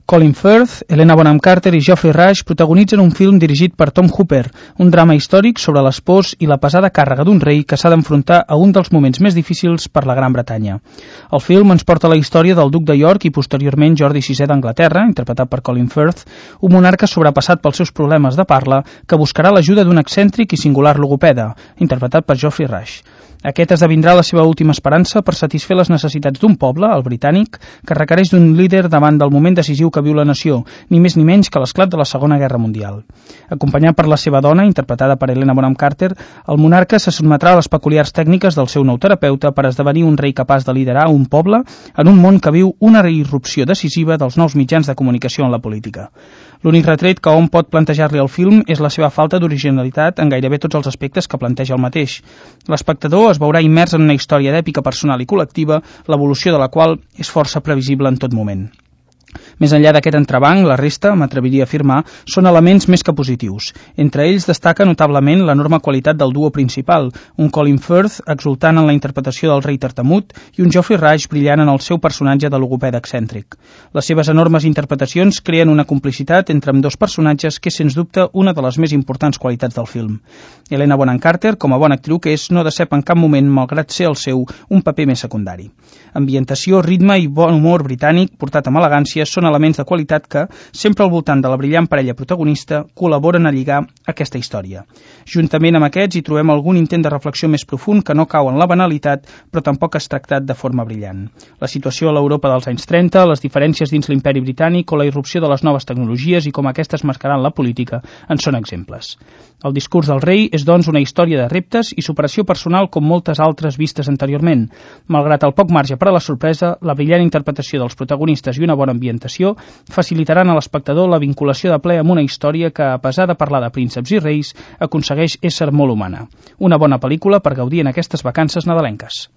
Colin Firth, Helena Bonham Carter i Geoffrey Rush protagonitzen un film dirigit per Tom Hooper, un drama històric sobre les pors i la pesada càrrega d'un rei que s'ha d'enfrontar a un dels moments més difícils per la Gran Bretanya. El film ens porta la història del duc de York i posteriorment Jordi VI d'Anglaterra, interpretat per Colin Firth, un monarca sobrepassat pels seus problemes de parla que buscarà l'ajuda d'un excèntric i singular logopeda, interpretat per Geoffrey Rush. Aquest esdevindrà la seva última esperança per satisfer les necessitats d'un poble, el britànic, que requereix d'un líder davant del moment decisiu que viu la nació, ni més ni menys que l'esclat de la Segona Guerra Mundial. Acompanyat per la seva dona, interpretada per Helena Bonham Carter, el monarca se sotmetrà a les peculiars tècniques del seu nou terapeuta per esdevenir un rei capaç de liderar un poble en un món que viu una irrupció decisiva dels nous mitjans de comunicació en la política. L'únic retret que hom pot plantejar-li al film és la seva falta d'originalitat en gairebé tots els aspectes que planteja el mateix. L'espectador es veurà immers en una història d'èpica personal i col·lectiva, l'evolució de la qual és força previsible en tot moment. Més enllà d'aquest entrebanc, la resta, m'atreviria a afirmar, són elements més que positius. Entre ells destaca notablement l'enorme qualitat del duo principal, un Colin Firth exultant en la interpretació del rei tartamut i un Geoffrey Rush brillant en el seu personatge de logopeda excèntric. Les seves enormes interpretacions creen una complicitat entre ambdós personatges que és, sens dubte, una de les més importants qualitats del film. Helena Bonham Carter, com a bona actriu que és, no decep en cap moment, malgrat ser el seu, un paper més secundari. Ambientació, ritme i bon humor britànic, portat amb elegància, són elements de qualitat que, sempre al voltant de la brillant parella protagonista, col·laboren a lligar aquesta història. Juntament amb aquests hi trobem algun intent de reflexió més profund que no cau en la banalitat, però tampoc és tractat de forma brillant. La situació a l'Europa dels anys 30, les diferències dins l'imperi britànic o la irrupció de les noves tecnologies i com aquestes marcaran la política en són exemples. El discurs del rei és, doncs, una història de reptes i superació personal com moltes altres vistes anteriorment. Malgrat el poc marge per a la sorpresa, la brillant interpretació dels protagonistes i una bona ambientació facilitaran a l'espectador la vinculació de ple amb una història que, a pesar de parlar de prínceps i reis, aconsegueix ésser molt humana. Una bona pel·lícula per gaudir en aquestes vacances nadalenques.